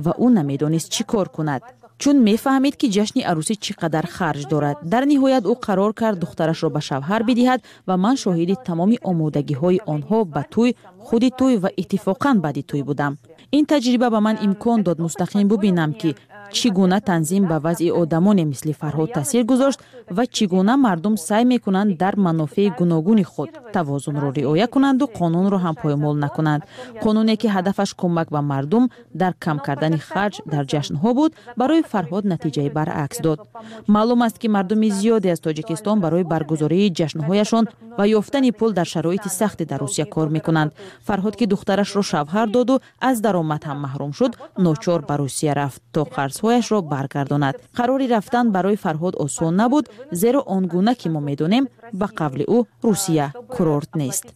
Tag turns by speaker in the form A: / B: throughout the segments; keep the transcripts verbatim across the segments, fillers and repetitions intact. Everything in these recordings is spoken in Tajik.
A: Ва ӯ намедонист, чӣ кор кунад, чун мефаҳмид, ки ҷашни арӯсӣ чӣ қадар харҷ дорад. Дар ниҳоят ӯ қарор кард духтарашро ба шавҳар бидиҳад ва ман шоҳиди тамоми омодагиҳои онҳо ба тӯй, худи тӯй ва иттифоқан баъди тӯй будам. Ин таҷриба ба ман имкон дод мустақим бубинам, ки чӣ гуна танзим ба вазъи одамоне мисли Фарҳод таъсир гузошт ва чӣ гуна мардум саъй мекунанд дар манофеи гуногуни худ тавозунро риоя кунанду қонунро ҳам поймол накунанд. Қонуне, ки ҳадафаш кӯмак ба мардум дар кам кардани харҷ дар ҷашнҳо буд, барои Фарҳод натиҷаи баръакс дод. Маълум аст, ки мардуми зиёде аз Тоҷикистон барои баргузории ҷашнҳояшон ва ёфтани пул дар шароити сахте дар Русия кор мекунанд. Фарҳод, ки духтарашро шавҳар доду аз даромад ҳам маҳрум шуд, ночор ба Русия рафт, то қарзҳояшро баргардонад. Қарори рафтан барои Фарҳод осон набуд, зеро он гуна ки мо медонем, ба қавли ӯ, Русия курорт нест.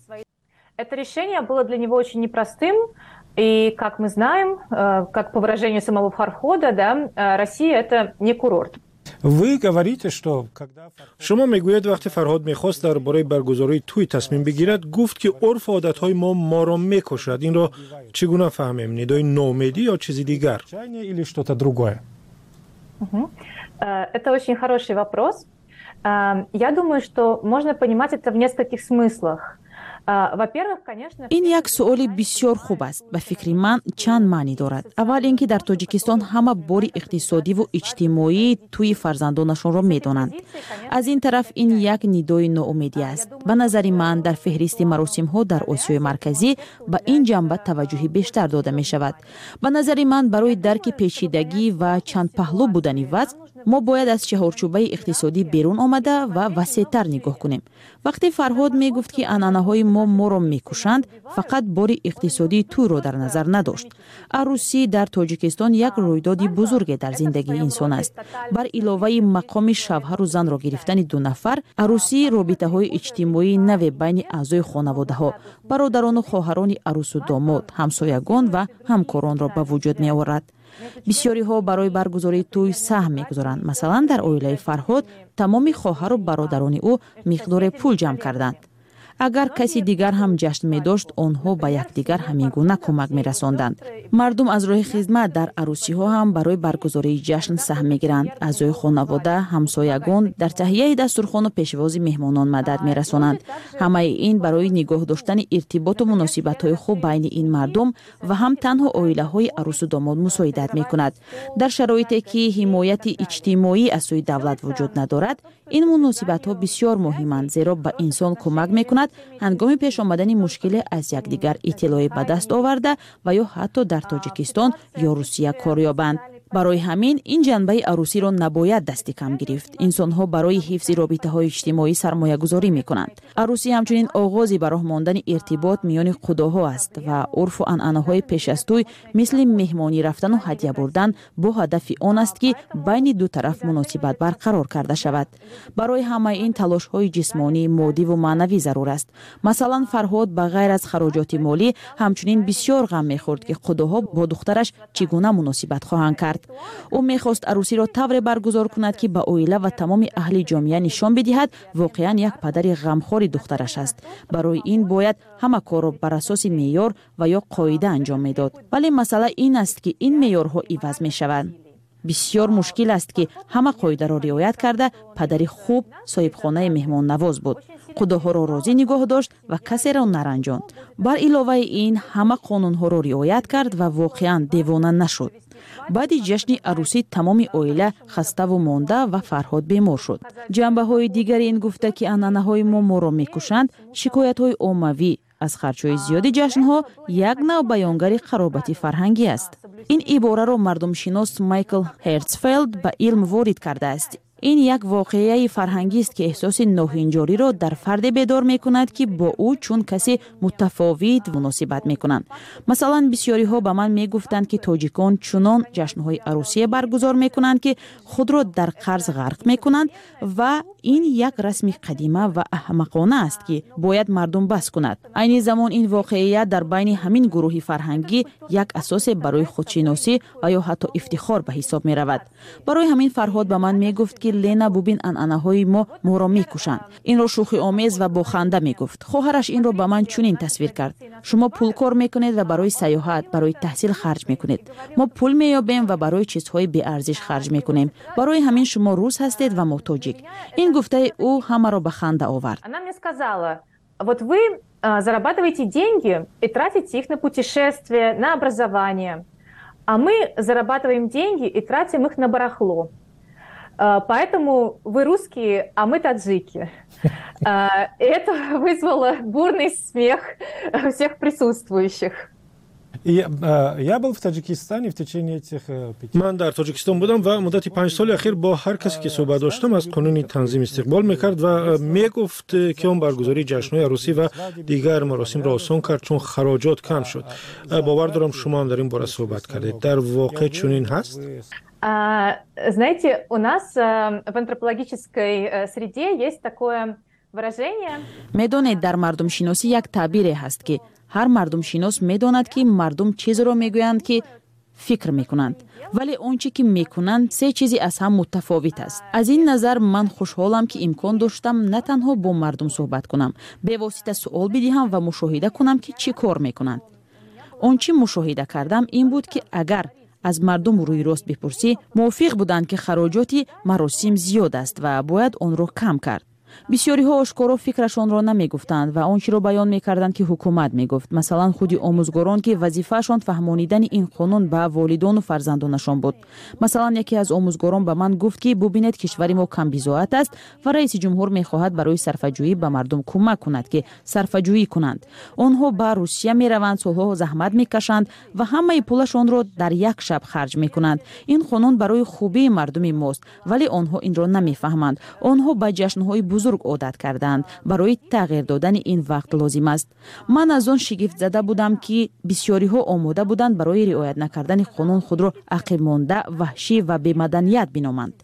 B: Это решение было для него очень непростым. И, как мы знаем, э, как по выражению самого Фархода, да, э, Россия – это не курорт.
C: Вы говорите, что когда
D: Шумо мегӯед, вақте Фарҳод мехост дар бораи баргузории тӯй тасмим бигирад, гуфт, ки урфу одатҳои мо моро мекушад. Инро чӣ гуна фаҳмем: нидои ноумедӣ ё чизи дигар?
C: Или что-то другое?
B: Э, это очень хороший вопрос. Я думаю, что можно понимать это в нескольких смыслах.
A: Ин як суоли бисёр хуб аст. Ба фикри ман, чанд маънӣ дорад. Аввал ин ки дар Тоҷикистон ҳама бори иқтисодиву иҷтимоии тӯи фарзандонашонро медонанд. Аз ин тараф, ин як нидои ноумедӣ аст. Ба назари ман, дар феҳристи маросимҳо дар Осиёи Марказӣ ба ин ҷанба таваҷҷӯҳи бештар дода мешавад. Ба назари ман, барои дарки печидагӣ ва чандпаҳлӯ будани вазъ мо бояд аз чаҳорчӯбаи иқтисодӣ берун омада ва васеътар нигоҳ кунем. Вақте Фарҳод мегуфт, ки анъанаҳои мо моро мекушанд, фақат бори иқтисодии тӯйро дар назар надошт. Арӯсӣ дар Тоҷикистон як рӯйдоди бузурге дар зиндагии инсон аст. Бар иловаи мақоми шавҳару занро гирифтани ду нафар, арӯсӣ робитаҳои иҷтимоии наве байни аъзои хонаводаҳо, бародарону хоҳарони арӯсу домод, ҳамсоягон ва ҳамкоронро ба вуҷуд меорад. Бисёриҳо барои баргузории тӯй саҳм мегузоранд. Масалан, дар оилаи Фарҳод тамоми хоҳару бародарони ӯ миқдоре пул ҷамъ карданд. Агар каси дигар ҳам ҷашн медошт, онҳо ба якдигар ҳамин гуна кӯмак мерасонданд. Мардум аз роҳи хизмат дар арӯсиҳо ҳам барои баргузории ҷашн саҳм мегиранд. Аъзои хонавода, ҳамсоягон дар таҳияи дастурхону пешвози меҳмонон мадад мерасонанд. Ҳамаи ин барои нигоҳ доштани иртиботу муносибатҳои хуб байни ин мардум ва ҳам танҳо оилаҳои арӯсу домод мусоидат мекунад. Дар шароите ки ҳимояти иҷтимоӣ аз сӯи давлат вуҷуд надорад, ин муносибатҳо бисёр муҳиманд, зеро ба инсон кӯмак мекунад ҳангоми пеш омадани мушкиле аз якдигар иттилоъе ба даст оварда ва ё ҳатто дар Тоҷикистон ё Русия кор ёбанд. Барои ҳамин ин ҷанбаи арӯсиро набояд дасти кам гирифт. Инсонҳо барои ҳифзи робитаҳои иҷтимоӣ сармоягузорӣ мекунанд. Арӯсӣ ҳамчунин оғози ба роҳ мондани иртибот миёни қудоҳо аст ва урфу анъанаҳои пеш аз тӯй, мисли меҳмонӣ рафтану ҳадя бурдан, бо ҳадафи он аст, ки байни ду тараф муносибат барқарор карда шавад. Барои ҳамаи ин талошҳои ҷисмонӣ, моддиву маънавӣ зарур аст. Масалан, Фарҳод ба ғайр аз хароҷоти молӣ ҳамчунин бисёр ғам мехӯрд, ки қудоҳо бо духтараш чӣ гуна муносибат хоҳанд кард. Ӯ мехост арӯсиро тавре баргузор кунад, ки ба оила ва тамоми аҳли ҷомеа нишон бидиҳад, воқеан як падари ғамхори духтараш аст. Барои ин бояд ҳама корро бар асоси меъёр ва ё қоида анҷом медод. Вале масъала ин аст, ки ин меъёрҳо иваз мешаванд. Бисёр мушкил аст, ки ҳама қоидаро риоят карда. Падари хуб, соҳибхонаи меҳмоннавоз буд, қудоҳоро розӣ нигоҳ дошт ва касеро наранҷонд. Бар иловаи ин, ҳама қонунҳоро риоят кард ва воқеан девона нашуд. Баъди ҷашни арӯсӣ тамоми оила хаставу монда ва Фарҳод бемор шуд. Ҷанбаҳои дигари ин гуфта, ки анъанаҳои мо моро мекушанд, шикоятҳои оммавӣ аз харҷҳои зиёди ҷашнҳо як нав баёнгари қаробати фарҳангӣ аст. Ин ибораро мардумшинос Майкл Хертсфелд ба илм ворид кардааст. Ин як воқеаи фарҳангист, ки эҳсоси ноҳинҷориро дар фарде бедор мекунад, ки бо ӯ чун касе мутафовит муносибат мекунанд. Масалан, бисёриҳо ба ман мегуфтанд, ки тоҷикон чунон ҷашнҳои арӯсие баргузор мекунанд, ки худро дар қарз ғарқ мекунанд ва ин як расми қадима ва аҳмақона аст, ки бояд мардум бас кунад. Айни замон ин воқеият дар байни ҳамин гурӯҳи фарҳангӣ як асосе барои худшиносӣ ва ё ҳатто ифтихор ба ҳисоб меравад. Барои ҳамин Фарҳод ба ман мегуфт, ки Лена, бубин, анъанаҳои мо моро мекушанд. Инро шӯхиомез ва бо ханда мегуфт. Хоҳараш инро ба ман чунин тасвир кард: шумо пул кор мекунед ва барои сайёҳат, барои таҳсил харҷ мекунед, мо пул меёбем ва барои чизҳои беарзиш харҷ мекунем. Барои ҳамин шумо рус ҳастед ва мо тоҷик. Ин гуфтаи ӯ ҳамаро ба ханда овард.
B: Она мне сказала: вот вы зарабатываете деньги и тратите их на путешествия, на образование, а мы зарабатываем деньги и тратим их на барахло. Поэтому вы русские, а мы таджики. Это вызвало бурный смех всех присутствующих.
C: Я был в Таджикистане в течение этих
D: пяти. Ман дар Тоҷикистон будам ва муддати панҷ соли ахир бо ҳар касе ки суҳбат доштам, аз қонуни танзим истиқбол мекард ва мегуфт, ки он баргузории ҷашнҳои арӯсӣ ва дигар маросимро осон кард, чун хароҷот кам шуд. Бовар дорам, шумо ҳам дар ин бора суҳбат кардед. Дар воқеъ чунин ҳаст?
B: Знаете, у нас в антропологической среде есть такое выражение.
A: Медонед, дар мардумшиносӣ як таъбире ҳаст, ки ҳар мардумшинос медонад, ки мардум чизеро мегӯянд, ки фикр мекунанд, вале он чӣ ки мекунанд, се чизи аз ҳам мутафовит аст. Аз ин назар ман хушҳолам, ки имкон доштам на танҳо бо мардум суҳбат кунам, бевосита суол бидиҳам ва мушоҳида кунам, ки чӣ кор мекунанд. Он чӣ мушоҳида кардам, ин буд, ки агар аз мардум рӯйрост бипурсӣ, мувофиқ буданд, ки хароҷоти маросим зиёд аст ва бояд онро кам кард. Бисёриҳо ошкоро фикрашонро намегуфтанд ва он чиро баён мекарданд, ки ҳукумат мегуфт. Масалан, худи омӯзгорон, ки вазифаашон фаҳмонидани ин қонун ба волидону фарзандонашон буд. Масалан, яке аз омӯзгорон ба ман гуфт, ки бубинед, кишвари мо камбизоат аст ва раиси ҷумҳур мехоҳад барои сарфаҷӯӣ ба мардум кӯмак кунад, ки сарфаҷӯӣ кунанд. Онҳо ба Русия мераванд, солҳо заҳмат мекашанд ва ҳамаи пулашонро дар як шаб харҷ мекунанд. Ин қонун барои хубии мардуми мост, вале онҳо инро намефаҳманд. Онҳо ба ҷашнҳои бузург одат кардаанд. Барои тағйир додани ин вақт лозим аст. Ман аз он шигифтзада будам, ки бисёриҳо омода буданд барои риоят накардани қонун худро ақибмонда, ваҳшӣ ва бемаданият биноманд.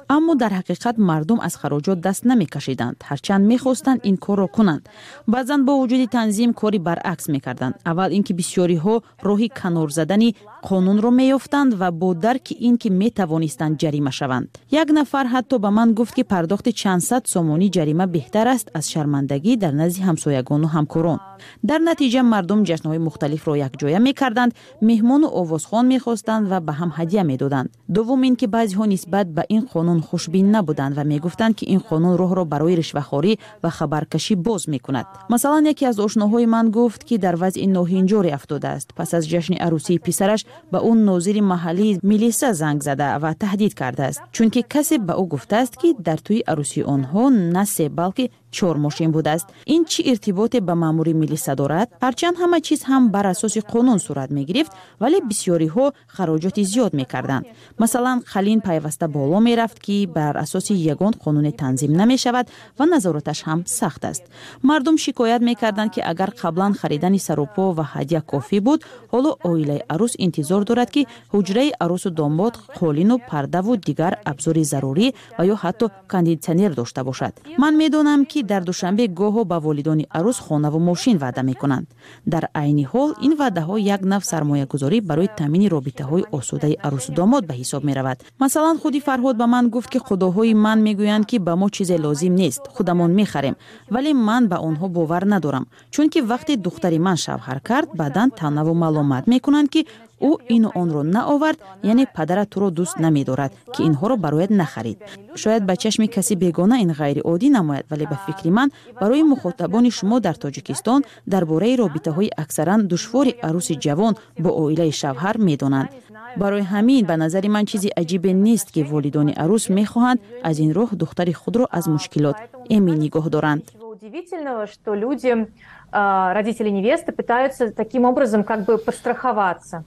A: Аммо дар ҳақиқат мардум аз хароҷот даст намекашиданд, ҳарчанд мехостанд ин корро кунанд. Баъзан бо вуҷуди танзим кори баръакс мекарданд. Аввал ин ки бисёриҳо роҳи канор задани қонунро меёфтанд ва бо дарки ин ки метавонистанд ҷарима шаванд. Як нафар ҳатто ба ман гуфт, ки пардохти чандсад сомонӣ ҷарима беҳтар аст аз шармандагӣ дар назди ҳамсоягону ҳамкорон. Дар натиҷа мардум ҷашнҳои мухталифро якҷоя мекарданд, меҳмону овозхон мехостанд ва ба ҳам ҳадя медоданд. Дуввум ин ки баъзеҳо нисбат ба ин қонун хушбин набуданд ва мегуфтанд, ки ин қонун роҳро барои ришвахорӣ ва хабаркашӣ боз мекунад. Масалан, яке аз ошноҳои ман гуфт, ки дар вазъи ноҳинҷоре афтодааст. Пас аз ҷашни арӯсии писараш ба ӯ нозири маҳаллии милиса занг зада ва таҳдид кардааст, чунки касе ба ӯ гуфтааст, ки дар тӯи арӯсии онҳо на се, балки чор мошин будааст. Ин чӣ иртиботе ба маъмури милиса дорад? Ҳарчанд ҳама чиз ҳам бар асоси қонун сурат мегирифт, вале бисёриҳо хароҷоти зиёд мекарданд. Масалан, қалин пайваста боло мерафт, ки бар асоси ягон қонуне танзим намешавад ва назораташ ҳам сахт аст. Мардум шикоят мекарданд, ки агар қаблан харидани сарупо ва ҳадя кофӣ буд, ҳоло оилаи арӯс интизор дорад, ки ҳуҷраи арӯсу домод қолину пардаву дигар абзори зарурӣ ва ё ҳатто кондитсионер дошта бошад. Ман медонам, ки дар Душанбе гоҳо ба волидони арӯс хонаву мошин ваъда мекунанд. Дар айни ҳол ин ваъдаҳо як нав сармоягузорӣ барои таъмини робитаҳои осудаи арӯсу домод ба ҳисоб меравад. Масалан, худи Фарҳод ба ман гуфт, ки худоҳои ман мегӯянд, ки ба мо чизе лозим нест, худамон мехарем, вале ман ба онҳо бовар надорам, чунки вақте духтари ман шавҳар кард, баъдан таънаву маломат мекунанд, ки ӯ ину онро наовард, яъне падарат туро дӯст намедорад, ки инҳоро барояд нахарид. Шояд ба чашми каси бегона ин ғайриоддӣ намояд, вале ба фикри ман барои мухотабони шумо дар Тоҷикистон дар бораи робитаҳои аксаран душвори арӯси ҷавон бо оилаи шавҳар медонанд. Барои ҳамин ба назари ман чизи аҷибе нест, ки волидони арӯс мехоҳанд аз ин роҳ духтари худро аз мушкилот эмин нигоҳ доранд.
B: Удивительного, что люди, родители невесты, пытаются таким образом как бы подстраховаться.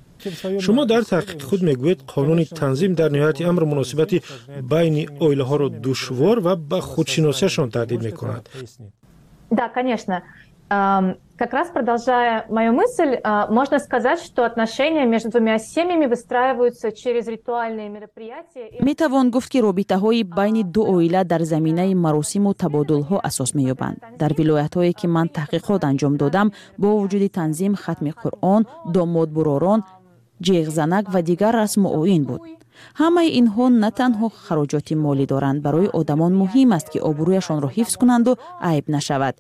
D: Шумо дар таҳқиқи худ мегӯед, қонуни танзим дар ниҳояти амр муносибати байни оилаҳоро душвор ва ба худшиносиашон таҳдид мекунад.
B: Да, конечно. Как раз продолжая мою мысль, можно сказать, что отношения между двумя семьями выстраиваются через ритуальные мероприятия.
A: Метавон гуфт, ки робитаҳои байни ду оила дар заминаи маросиму табодулҳо асос меёбанд. Дар вилоятҳое, ки ман таҳқиқот анҷом додам, бо вуҷуди танзим, хатми Қуръон, домодбуророн, ҷеғзанак ва дигар расму оин буд. Ҳамаи инҳо на танҳо хароҷоти молӣ доранд. Барои одамон муҳим аст, ки обрӯяшонро ҳифз кунанду айб нашавад.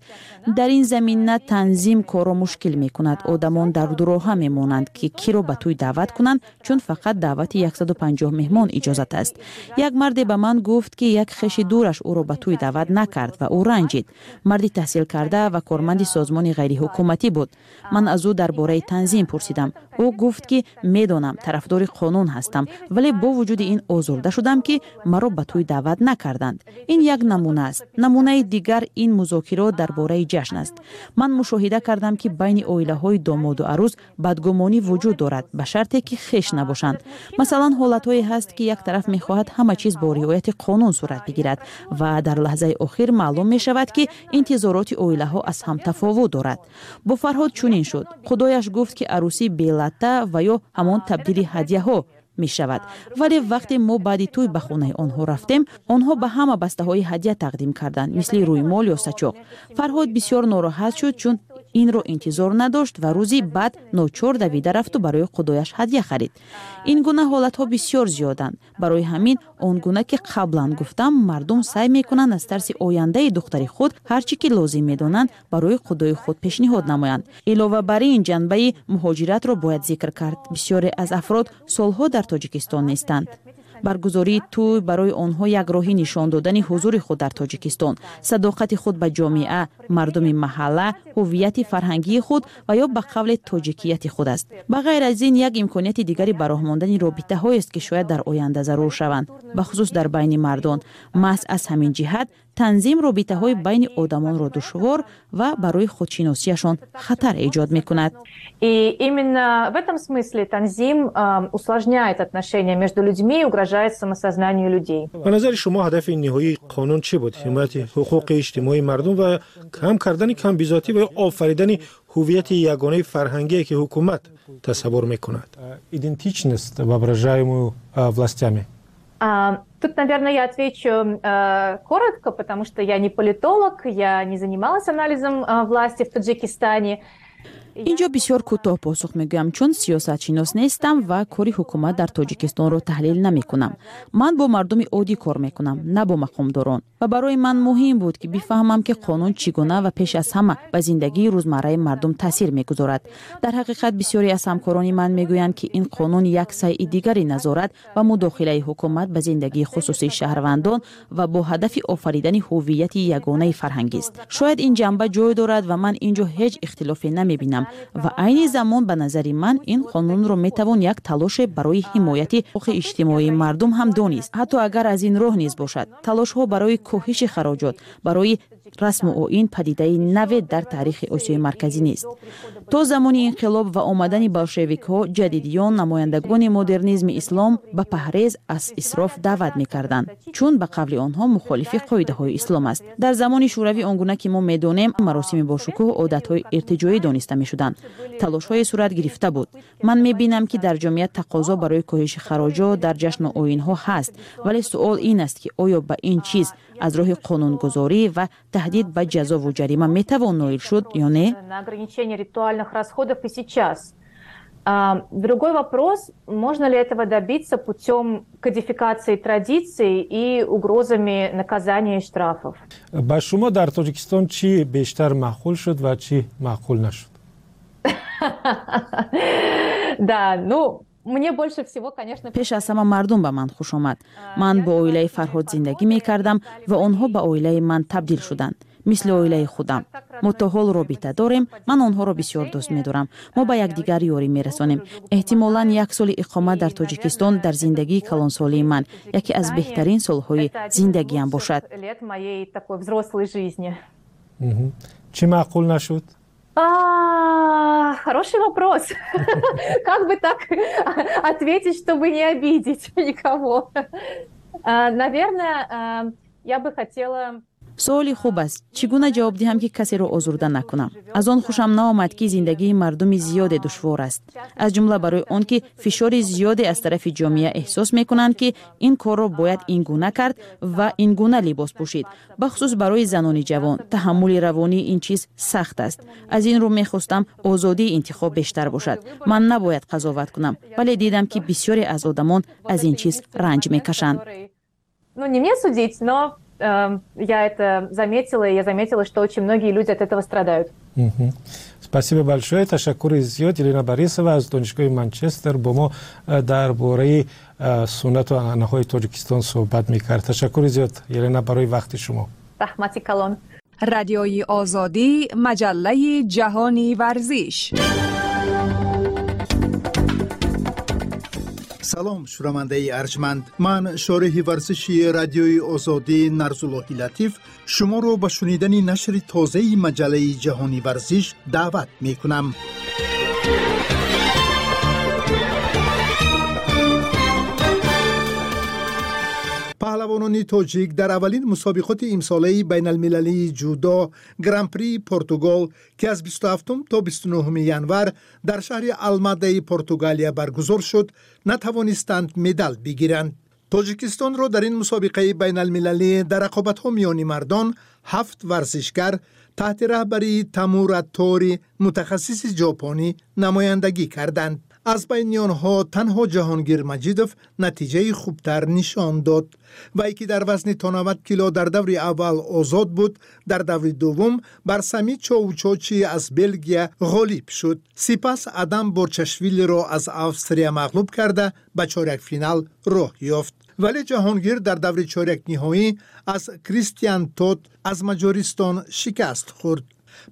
A: Дар ин замина танзим корро мушкил мекунад. Одамон дар дуроҳа мемонанд, ки киро ба тӯй даъват кунанд, чун фақат даъвати яксаду панҷоҳ меҳмон иҷозат аст. Як марде ба ман гуфт, ки як хеши дураш ӯро ба тӯй даъват накард ва ӯ ранҷид. Марди таҳсилкарда ва корманди созмони ғайриҳукуматӣ буд. Ман аз ӯ дар бораи танзим пурсидам. Ӯ гуфт, ки медонам, тарафдори қонун ҳастам, вале бо вуҷуди ин озурда шудам, ки маро ба тӯй даъват накарданд. Ин як намуна аст. Намунаи дигар ин музокирот дар бораи ҷашн аст. Ман мушоҳида кардам, ки байни оилаҳои домоду арӯз бадгумонӣ вуҷуд дорад, ба шарте ки хеш набошанд. Масалан, ҳолатҳое ҳаст, ки як тараф мехоҳад ҳама чиз бо риояти қонун сурат бигирад ва дар лаҳзаи охир маълум мешавад, ки интизороти оилаҳо аз ҳам тафовут дорад. Бо Фарҳод чунин шуд. Худояш гуфт, ки арӯсӣ бе латта ва ё ҳамон табдили ҳадяҳо мешавад, вале вақте мо баъди тӯй ба хонаи онҳо рафтем, онҳо ба ҳама бастаҳои ҳадя тақдим карданд, мисли рӯймол ё сачоқ. Фарҳод бисёр нороҳат шуд, чун инро интизор надошт ва рӯзи баъд ночор давида рафту барои худояш ҳадя харид. Ин гуна ҳолатҳо бисёр зиёданд. Барои ҳамин, он гуна ки қаблан гуфтам, мардум саъй мекунанд аз тарси ояндаи духтари худ ҳар чӣ ки лозим медонанд, барои худои худ пешниҳод намоянд. Илова бар ин, ҷанбаи муҳоҷиратро бояд зикр кард. Бисёре аз афрод солҳо дар Тоҷикистон нестанд. Баргузории тӯй барои онҳо як роҳи нишон додани ҳузури худ дар Тоҷикистон, садоқати худ ба ҷомеа, мардуми маҳалла, ҳуввияти фарҳангии худ ва ё ба қавле тоҷикияти худ аст. Ба ғайр аз ин, як имконияти дигари ба роҳ мондани робитаҳоест, ки шояд дар оянда зарур шаванд, бахусус дар байни мардон. Маҳз аз ҳамин ҷиҳат танзим робитаҳои байни одамонро душвор ва барои худшиносиашон хатар эҷод мекунад.
B: И именно в этом смысле танзим усложняет отношения между людьми и угрожает самосознанию людей.
D: Ба назари шумо, ҳадафи ниҳоии қонун чӣ буд? Ҳимояти ҳуқуқи иҷтимоии мардум ва кам кардани камбизоатӣ ва ё офаридани ҳуввияти ягонаи фарҳангие, ки ҳукумат тасаввур мекунад?
C: Идентичность, воображаемую властями.
B: Тут, наверное, я отвечу э, коротко, потому что я не политолог, я не занималась анализом э, власти в Таджикистане.
A: Ин ҷо бисёр кӯтоҳ посух мегӯям, чун сиёсатшинос нестам ва кори ҳукумат дар Тоҷикистонро таҳлил намекунам. Ман бо мардуми оддӣ кор мекунам, на бо мақомдорон, ва барои ман муҳим буд, ки бифаҳмам, ки қонун чӣ гуна ва пеш аз ҳама ба зиндагии рӯзмарраи мардум таъсир мегузорад. Дар ҳақиқат, бисёре аз ҳамкорони ман мегӯянд, ки ин қонун як сайъи дигари назорат ва мудохилаи ҳукумат ба зиндагии хусусии шаҳрвандон ва бо ҳадафи офаридани ҳуввияти ягонаи фарҳангист. Шояд ин ҷанба ҷой дорад ва ман ин ҷо ҳеҷ ихтилофе намебинам. Ва айни замон, ба назари ман, ин қонунро метавон як талоше барои ҳимояти ҳуқуқи иҷтимоии мардум ҳам донист, ҳатто агар аз ин роҳ низ бошад. Талошҳо барои коҳиши хароҷот барои расму оин падидаи наве дар таърихи Осиёи Марказӣ нест. То замони инқилоб ва омадани болшевикҳо, ҷадидиён, намояндагони модернизми ислом ба паҳрез аз исроф даъват мекарданд, чун ба қавли онҳо мухолифи қоидаҳои ислом аст. Дар замони Шӯравӣ, он гуна ки мо медонем, маросими бошукӯҳ одатҳои иртиҷоӣ дониста мешуданд. Талошҳое сурат гирифта буд. Ман мебинам, ки дар ҷомеа тақозо барои коҳиши хароҷот дар ҷашну оинҳо ҳаст, вале суол ин аст, ки оё ба ин чиз аз роҳи қонунгузорӣ ва таҳдид ба ҷазову ҷарима метавон ноил шуд ё не.
B: На ограничение ритуальных расходов и сейчас. Другой вопрос, можно ли этого добиться путем кодификации традиций и угрозами наказания и штрафов.
C: Ба шумо дар Тоҷикистон чӣ бештар маъқул шуд ва чӣ маъқул нашуд?
B: Да, ну, мне больше всего, конечно.
A: Пеш аз ҳама мардум ба ман хуш омад. Ман бо оилаи Фарҳод зиндагӣ мекардам ва онҳо ба оилаи ман табдил шуданд, мисли оилаи худам. Мо то ҳол робита дорем. Ман онҳоро бисёр дӯст медорам. Мо ба якдигар ёрӣ мерасонем. Эҳтимолан, як соли иқомат дар Тоҷикистон дар зиндагии калонсолии ман яке аз беҳтарин солҳои зиндагиам бошад.
B: Лет моей такой взрослой жизни.
C: Чӣ маъқул нашуд?
B: Хороший вопрос. Как бы так ответить, чтобы не обидеть никого? Наверное, я бы хотела.
A: Суоли хуб аст. Чӣ гуна ҷавоб диҳам, ки касеро озурда накунам? Аз он хушам наомад, ки зиндагии мардуми зиёде душвор аст, аз ҷумла барои он ки фишори зиёде аз тарафи ҷомеа эҳсос мекунанд, ки ин корро бояд ин гуна кард ва ин гуна либос пӯшид. Бахусус барои занони ҷавон таҳаммули равонии ин чиз сахт аст. Аз ин рӯ мехостам озодии интихоб бештар бошад. Ман набояд қазоват кунам, вале дидам, ки бисёре аз одамон аз ин чиз ранҷ мекашанд.
B: Ну, не мне судить, но э, я это заметила, и я заметила, что очень многие люди от этого страдают.
C: Спасибо большое. Ташаккури зиёд. Елена Борисова аз Донишгоҳи Манчестер бо мо дар бораи суннату анъанаҳои Тоҷикистон суҳбат мекард. Ташаккури зиёд, Елена, барои вақти шумо.
B: Раҳмати калон.
E: Радиои Озодӣ, маҷаллаи ҷаҳони варзиш.
F: Салом, шунавандаи арҷманд. Ман, шореҳи варзиши Радиои Озодӣ Нарзуллоҳи Латиф, шуморо ба шунидани нашри тозаи маҷаллаи ҷаҳони варзиш даъват мекунам. Паҳлавонони тоҷик дар аввалин мусобиқоти имсолаи байналмилалии ҷудо, Гран-при Португал, ки аз бисту ҳафтум то бисту нуҳуми январ дар шаҳри Алмадаи Португалия баргузор шуд, натавонистанд медал бигиранд. Тоҷикистонро дар ин мусобиқаи байналмилалӣ дар рақобатҳо миёни мардон ҳафт варзишгар таҳти раҳбарии Тамура Тори, мутахассиси ҷопонӣ, намояндагӣ карданд. Аз байни онҳо танҳо Ҷаҳонгир Маҷидов натиҷаи хубтар нишон дод. Вай, ки дар вазни то навад кило дар даври аввал озод буд, дар даври дуввум бар Сами Чоучочи аз Белгия ғолиб шуд. Сипас Адам Борчашвилиро аз Австрия мағлуб карда, ба чорякфинал роҳ ёфт. Вале Ҷаҳонгир дар даври чорякниҳоӣ аз Кристиан Тот аз Маҷористон шикаст хӯрд.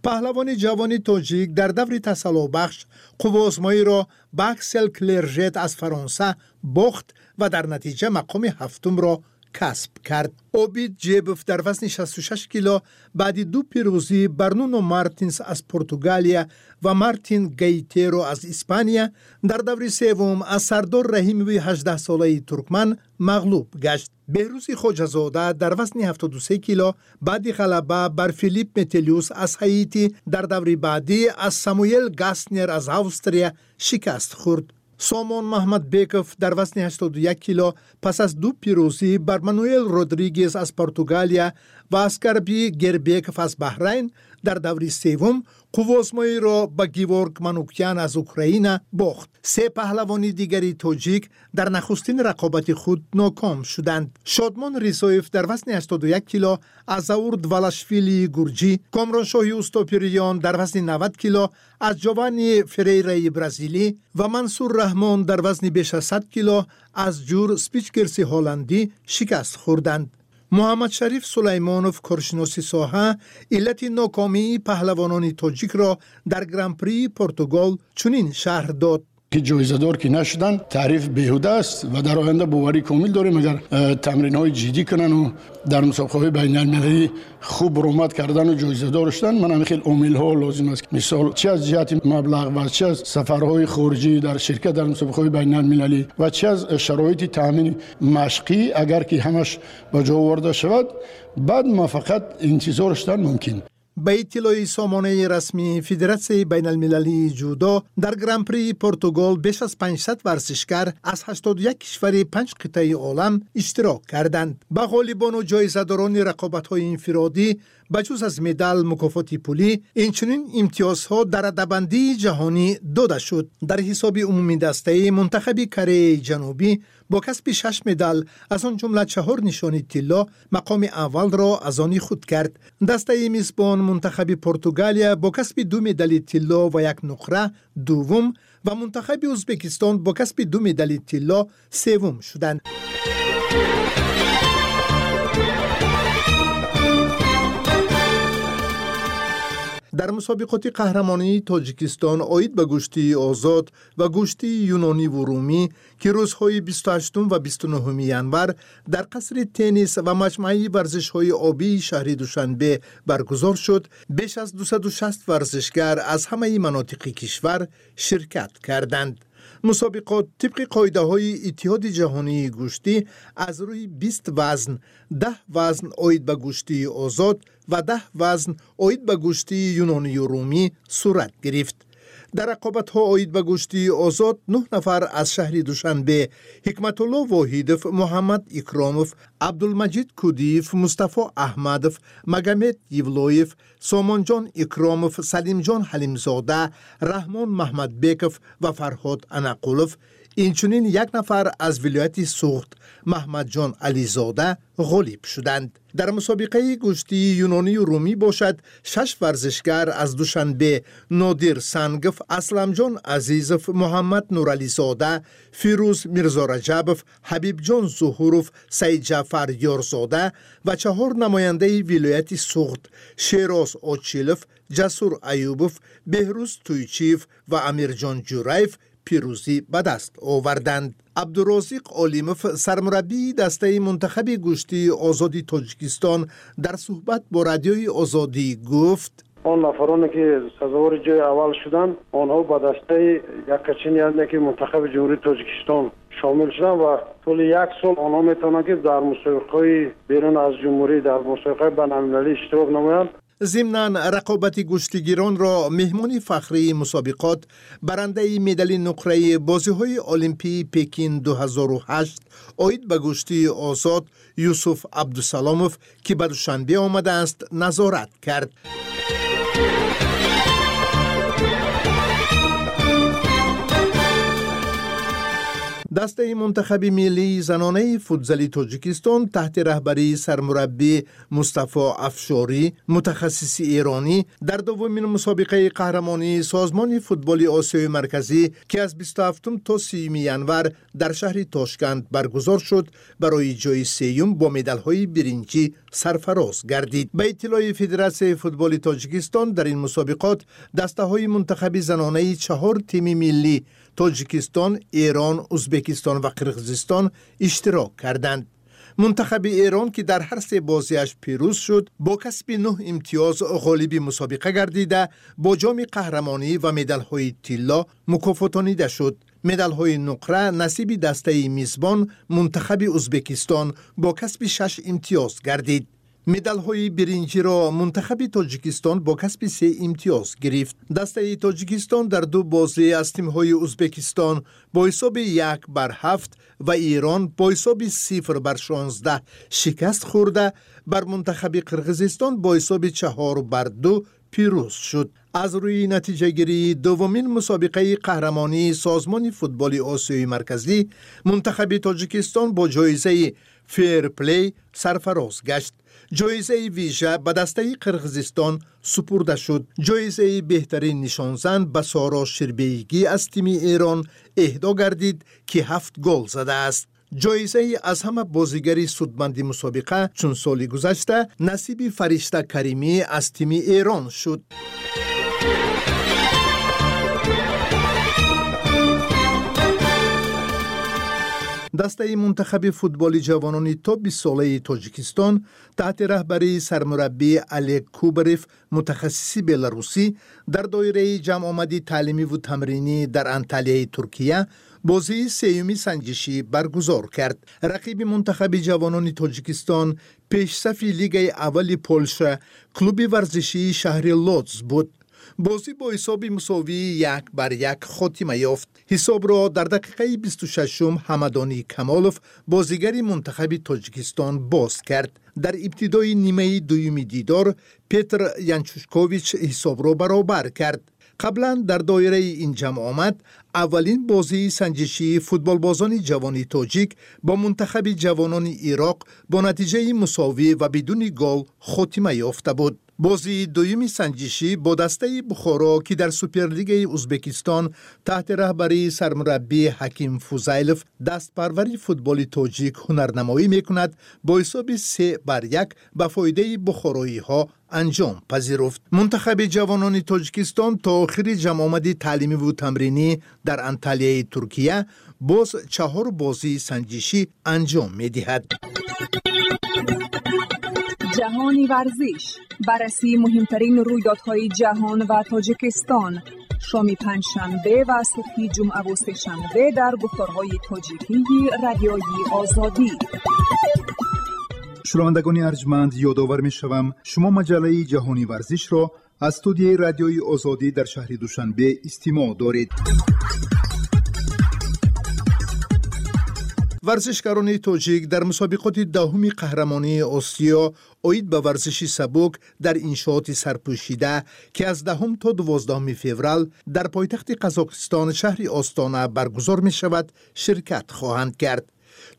F: Паҳлавони ҷавони тоҷик дар даври тасаллобахш қувваозмоиро ба Аксел Клержет аз Фаронса бохт ва дар натиҷа мақоми ҳафтумро касб кард. Обид Ҷебов дар вазни шасту шаш кило баъди ду пирӯзӣ бар Нуно Мартинс аз Португалия ва Мартин Гайтеро аз Испания, дар даври севум аз Сардор Раҳимови ҳаждаҳсолаи туркман мағлуб гашт. Беҳрӯзи Хоҷазода дар вазни ҳафтоду се кило баъди ғалаба бар Филип Метелюс аз Ҳаити, дар даври баъдӣ аз Самуэл Гаснер аз Австрия шикаст хӯрд. Сомон Маҳмадбеков дар вазни ҳаштоду як кило пас аз ду пирӯзӣ бар Мануэл Родригес аз Португалия ва Аскарби Гербеков аз Баҳрайн, дар даври севум қувваозмоиро ба Геворг Манукян аз Украина бохт. Се паҳлавони дигари тоҷик дар нахустин рақобати худ ноком шуданд. Шодмон Ризоев дар вазни ҳаштоду як кило аз Заур Двалашвилии гурҷӣ, Комроншоҳи Устопириён дар вазни навад кило аз Ҷованни Ферейраи бразилӣ ва Мансур Раҳмон дар вазни беш аз сад кило аз Ҷур Спичкерси ҳолландӣ шикаст хӯрданд. Муҳаммадшариф Сулаймонов, коршиноси соҳа, иллати нокомии паҳлавонони тоҷикро дар Гран-прии Португал чунин шарҳ дод.
G: Ки ҷоизадор ки нашуданд, таъриф беҳуда аст ва дар оянда боварӣ комил дорем, агар тамринҳои ҷиддӣ кунанд ва дар мусобиқаҳои байналмилалӣ хуб баромад кардан ва ҷоизадор шудан, ман ҳамин хел омилҳо лозим аст. Мисол, чи аз ҷиҳати маблағ ва чи аз сафарҳои хориҷӣ дар ширкат дар мусобиқаҳои байналмилалӣ ва чи аз шароити таъмини машқӣ, агар ки ҳамаш ба ҷо оварда шавад, баъд муваффақият интизор шудан мумкин.
F: Ба иттилои сомонаи расмии Федератсияи байналмилалии ҷудо, дар Гран-прии Португал беш аз панҷсад варзишгар аз ҳаштоду як кишвари панҷ қитъаи олам иштирок карданд. Ба ғолибону ҷоизадорони рақобатҳои инфиродӣ ба ҷуз аз медал, мукофоти пулӣ, инчунин имтиёзҳо дар радабандии ҷаҳонӣ дода шуд. Дар ҳисоби умумидастаи мунтахаби Кореяи Ҷанубӣ бо касби шаш медал, аз он ҷумла чаҳор нишони тилло, мақоми аввалро аз они худ кард. Дастаи мизбон мунтахаби Португалия бо касби ду медали тилло ва як нуқра дуввум ва мунтахаби Ӯзбекистон бо касби ду медали тилло севум шуданд. Дар мусобиқоти қаҳрамонии Тоҷикистон оид ба гӯштии озод ва гӯштии юнониву румӣ, ки рӯзҳои бисту ҳаштум ва бисту нуҳуми январ дар қасри теннис ва маҷмӯаи варзишҳои обии шаҳри Душанбе баргузор шуд, беш аз дусаду шаст варзишгар аз ҳамаи манотиқи кишвар ширкат карданд. Мусобиқот тибқи қоидаҳои Иттиҳоди ҷаҳонии гӯштӣ аз рӯи бист вазн, даҳ вазн оид ба гӯштии озод ва даҳ вазн оид ба гӯштии юнонию румӣ сурат гирифт. Дар рақобатҳо оид ба гӯштии озод нӯҳ нафар аз шаҳри Душанбе Ҳикматулло Воҳидов, Муҳаммад Икромов, Абдулмаҷид Кудиев, Мустафо Аҳмадов, Магомед Евлоев, Сомонҷон Икромов, Салимҷон Ҳалимзода, Раҳмон Маҳмадбеков ва Фарҳод Анақулов, инчунин як нафар аз вилояти Суғд Маҳмадҷон Ализода ғолиб шуданд. Дар мусобиқаи гӯштии юнонию румӣ бошад, шаш варзишгар аз Душанбе Нодир Сангов, Асламҷон Азизов, Муҳаммад Нурализода, Фирӯз Мирзораҷабов, Ҳабибҷон Зуҳуров, Саидҷаъфар Ёрзода ва чаҳор намояндаи вилояти Суғд Шероз Очилов, Ҷасур Аюбов, Беҳрӯз Туйчиев ва Амирҷон Ҷураев пирӯзӣ ба даст оварданд. Абдурозиқ Олимов, сармураббии дастаи мунтахаби гӯштии озоди Тоҷикистон, дар суҳбат бо Радиои Озодӣ гуфт:
H: он нафароне ки сазовори ҷои аввал шуданд, онҳо ба дастаи яккачин, яъне ки мунтахаби Ҷумҳурии Тоҷикистон шомил шуданд ва тӯли як сол онҳо метавонанд ки дар мусобиқаҳои берун аз ҷумҳурӣ, дар мусобиқаҳои байналмилалӣ иштирок намоянд.
F: Зимнан рақобати гӯштигиронро меҳмони фахрии мусобиқот, барандаи медали нуқраи бозиҳои Олимпии Пекин ду ҳазору ҳашт оид ба гӯштии озод Юсуф Абдусаломов, ки ба Душанбе омадааст, назорат кард. Дастаи мунтахаби миллии занонаи футзали Тоҷикистон таҳти раҳбарии сармураббӣ Мустафо Афшорӣ, мутахассиси эронӣ, дар дуввумин мусобиқаи қаҳрамонии Созмони футболи Осиёи Марказӣ, ки аз бисту ҳафтум то сиюми январ дар шаҳри Тошканд баргузор шуд, барои ҷои сеюм бо медалҳои биринҷӣ сарфароз гардид. Ба иттилои Федератсияи футболи Тоҷикистон, дар ин мусобиқот дастаҳои мунтахаби занонаи чаҳор тими миллӣ Тоҷикистон, Эрон, Узбекистон ва Қирғизистон иштирок карданд. Мунтахаби Эрон, ки дар ҳар се бозиаш пирӯз шуд, бо касби нӯҳ имтиёз ғолиби мусобиқа гардида, бо ҷоми қаҳрамонӣ ва медалҳои тилло мукофотонида шуд. Медалҳои нуқра насиби дастаи мизбон мунтахаби Узбекистон бо касби шаш имтиёз гардид. Медалҳои биринҷиро мунтахаби Тоҷикистон бо касби се имтиёз гирифт. Дастаи Тоҷикистон дар ду бозӣ аз тимҳои Узбекистон бо ҳисоби як бар ҳафт ва Эрон бо ҳисоби сифр бар шонздаҳ шикаст хӯрда, бар мунтахаби Қирғизистон бо ҳисоби чаҳор бар ду пирӯз шуд. Аз рӯи натиҷагирии дуввумин мусобиқаи қаҳрамонии Созмони футболи Осиёи Марказӣ, мунтахаби Тоҷикистон бо ҷоизаи фейрплей сарфароз гашт. Ҷоизаи вижа ба дастаи Қирғизистон супурда шуд. Ҷоизаи беҳтарин нишонзан ба Соро Ширбеигӣ аз тими Эрон эҳдо гардид, ки ҳафт гол задааст. Ҷоизаи аз ҳама бозигари судманди мусобиқа чун соли гузашта насиби Фаришта Каримӣ аз тими Эрон шуд. Дастаи мунтахаби футболи ҷавонони то бистсолаи Тоҷикистон таҳти раҳбарии сармураббӣ Олег Кубарев, мутахассиси беларусӣ, дар доираи ҷамъомади таълимиву тамринӣ дар Анталияи Туркия бозии сеюми санҷишӣ баргузор кард. Рақиби мунтахаби ҷавонони Тоҷикистон пешсафи лигаи аввали Полша, клуби варзишии шаҳри Лодз буд. Бозӣ бо ҳисоби мусовии як бар як хотима ёфт. Ҳисобро дар дақиқаи бисту шашум Ҳамадонӣ Камолов, бозигари мунтахаби Тоҷикистон, боз кард. Дар ибтидои нимаи дуюми дидор Петр Янчушкович ҳисобро баробар кард. Қаблан дар доираи ин ҷамъомад аввалин бозии санҷишии футболбозони ҷавони тоҷик бо мунтахаби ҷавонони Ироқ бо натиҷаи мусовӣ ва бидуни гол хотима ёфта буд. Бозии дуюми санҷишӣ бо дастаи Бухоро, ки дар Суперлигаи Узбекистон таҳти раҳбарии сармураббӣ Ҳаким Фузайлов дастпарвари футболи тоҷик ҳунарнамоӣ мекунад, бо ҳисоби се бар як ба фоидаи бухороиҳо анҷом пазируфт. Мунтахаби ҷавонони Тоҷикистон то охири ҷамъомади таълимиву тамринӣ дар Анталияи Туркия боз чаҳор бозии санҷишӣ анҷом медиҳад.
E: Ҷаҳони варзиш, баррасии муҳимтарин рӯйдодҳои ҷаҳон ва Тоҷикистон. Шоми панҷшанбе ва субҳи ҷумъаву сешанбе дар гуфторҳои тоҷикии Радиои Озодӣ.
F: Шунавандагони арҷманд, ёдовар мешавам, шумо маҷаллаи ҷаҳони варзишро аз студияи Радиои Озодӣ дар шаҳри Душанбе истимоъ доред. Варзишгарони тоҷик дар мусобиқоти даҳуми қаҳрамонии Осиё оид ба варзиши сабук дар иншооти сарпӯшида, ки аз даҳум то дувоздаҳуми феврал дар пойтахти Қазоқистон шаҳри Остона баргузор мешавад, ширкат хоҳанд кард.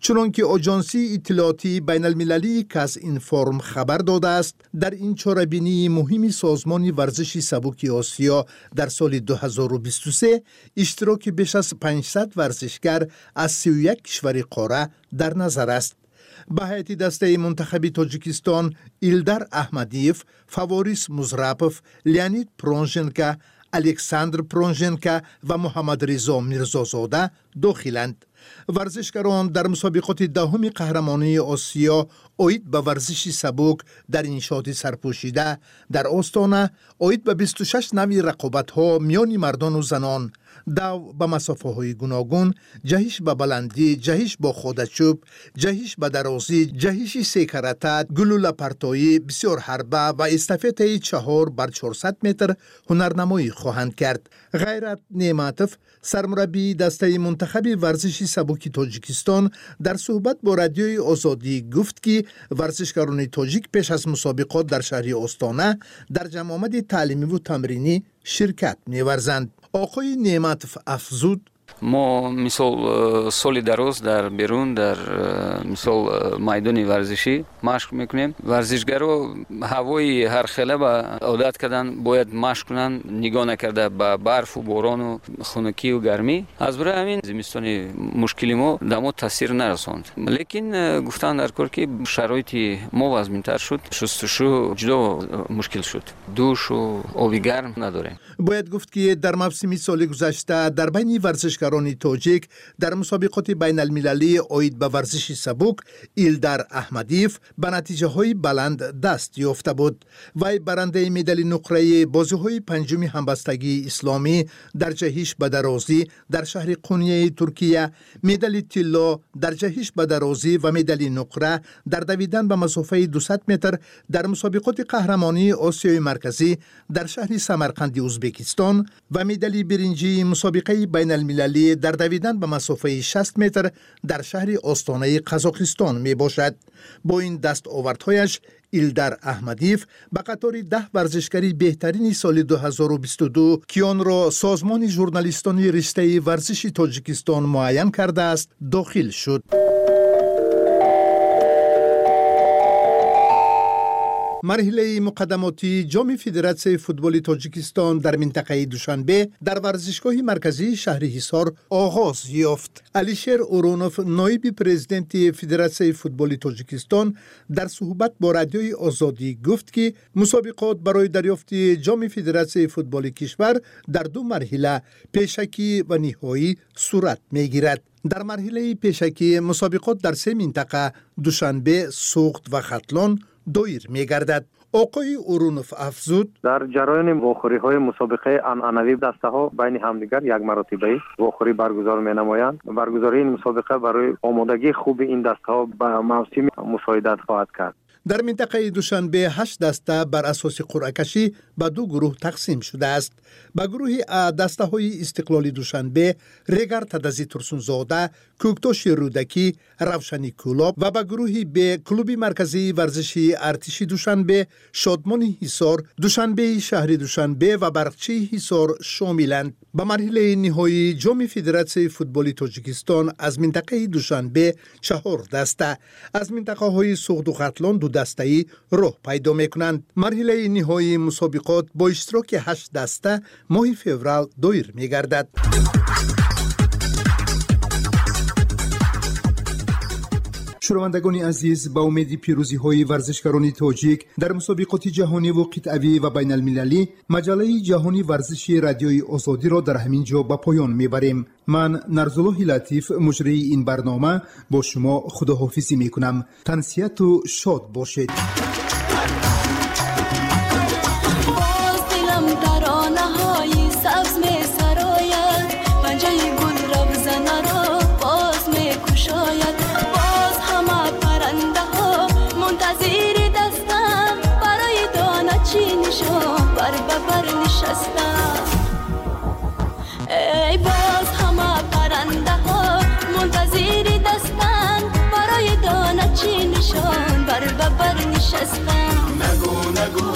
F: Чунон ки оҷонсии иттилоотии байналмилалии Казинформ хабар додааст, дар ин чорабинии муҳими созмони варзиши сабуки Осиё дар соли ду ҳазору бисту се иштироки беш аз панҷсад варзишгар аз сию як кишвари қора дар назар аст. Ба ҳайати дастаи мунтахаби Тоҷикистон Илдар Аҳмадиев, Фаворис Музрапов, Леонид Пронженко, Александр Пронженко ва Муҳаммадризо Мирзозода дохиланд. Варзишгарон дар мусобиқоти даҳуми қаҳрамонии Осиё оид ба варзиши сабук дар иншооти сарпӯшида дар Остона оид ба бисту шаш навъи рақобатҳо миёни мардону занон, дав ба масофаҳои гуногун, ҷаҳиш ба баландӣ, ҷаҳиш бо ходачӯб, ҷаҳиш ба дарозӣ, ҷаҳиши секарата, гулӯлапартоӣ, бисёр ҳарба ва эстафетаи чаҳор бар чорсад метр ҳунарнамоӣ хоҳанд кард. Ғайрат Неъматов, сармураббии дастаи мунтахаби варзиши сабуки Тоҷикистон, дар суҳбат бо Радиои Озодӣ гуфт, ки варзишгарони тоҷик пеш аз мусобиқот дар шаҳри Остона дар ҷамъомади таълимиву тамринӣ ширкат меварзанд. Оқои Неъматов афзуд:
I: мо мисол соли дароз дар берун, дар мисол майдони варзишӣ машқ мекунем. Варзишгаро ҳавои ҳархела ба одат кардан, бояд машқ кунанд, нигоҳ накарда ба барфу борону хунукию гармӣ. Аз барои ҳамин зимистони мушкили мо да мо таъсир нарасонд. Лекин гуфтан дар кор, ки шароити мо вазминтар шуд, шустушу ҷудо мушкил шуд, душу оби гарм надорем.
F: Бояд гуфт, ки дар мавсими соли гузашта дар байни варзишгарони тоҷик дар мусобиқоти байналмилалӣ оид ба варзиши сабук Илдар Аҳмадиев ба натиҷаҳои баланд даст ёфта буд. Вай барандаи медали нуқраи бозиҳои панҷуми ҳамбастагии исломӣ дар ҷаҳиш ба дарозӣ дар шаҳри Қунияи Туркия, медали тилло дар ҷаҳиш ба дарозӣ ва медали нуқра дар давидан ба масофаи дусад метр дар мусобиқоти қаҳрамонии Осиёи Марказӣ дар шаҳри Самарқанди Узбекистон ва медали биринҷии мусобиқаи байналмилалӣ дар давидан ба масофаи шаст метр дар шаҳри Остонаи Қазоқистон мебошад. Бо ин дастовардҳояш Илдар Аҳмадиев ба қатори даҳ варзишгари беҳтарини соли ду ҳазору бисту ду, ки онро созмони журналистони риштаи варзиши Тоҷикистон муайян кардааст, дохил шуд. Марҳилаи муқаддамотии ҷоми Федератсияи футболи Тоҷикистон дар минтақаи Душанбе дар варзишгоҳи марказии шаҳри Ҳисор оғоз ёфт. Алишер Урунов, ноиби президенти Федератсияи футболи Тоҷикистон, дар суҳбат бо Радиои Озодӣ гуфт, ки мусобиқот барои дарёфти ҷоми Федератсияи футболи кишвар дар ду марҳила, пешакӣ ва ниҳоӣ, сурат мегирад. Дар марҳилаи пешакӣ мусобиқот дар се минтақа Душанбе, Суғд ва Хатлон доир мегардад. Оқои Урунов афзуд:
J: дар ҷараёни вохӯриҳои мусобиқаи анъанавӣ дастаҳо байни ҳамдигар як маротибаи вохӯрӣ баргузор менамоянд. Баргузории ин мусобиқа барои омодагии хуби ин дастаҳо ба мавсим мусоидат хоҳад кард.
F: Дар минтақаи Душанбе ҳашт даста бар асоси қуръакашӣ ба ду гурӯҳ тақсим шудааст. Ба гурӯҳи А дастаҳои Истиқлоли Душанбе, Регар Тадази Турсунзода, Кӯктоши Рӯдакӣ, Равшани Кӯлоб ва ба гурӯҳи Б клуби марказии варзишии Артиши Душанбе, Шодмони Ҳисор, Душанбеи шаҳри Душанбе ва Барқчии Ҳисор шомиланд. Ба марҳилаи ниҳоии ҷоми Федератсияи футболи Тоҷикистон аз минтақаи Душанбе чаҳор даста, аз минтақаҳои Суғду Хатлон ду дастаӣ роҳ пайдо мекунанд. Марҳилаи ниҳоии мусобиқот бо иштироки ҳашт даста моҳи феврал доир мегардад. Шунавандагони азиз, ба умеди пирӯзиҳои варзишгарони тоҷик дар мусобиқоти ҷаҳониву қитъавӣ ва байналмилалӣ, маҷаллаи ҷаҳони варзиши Радиои Озодиро дар ҳамин ҷо ба поён мебарем. Ман Нарзуллоҳи Латиф, муҷрии ин барнома, бо шумо худоҳофизӣ мекунам. Тансиҳату шод бошед.
K: Боз дилам таронаҳои сабз. кушояд. Боз ҳама парандаҳо мунтазири дастам, барои дона чинишон бар ба бар нишастам. Эй боз ҳама парандаҳо мунтазири дастам, барои дона чинишон бар ба бар нишастам.
L: Нагӯ, нагӯ.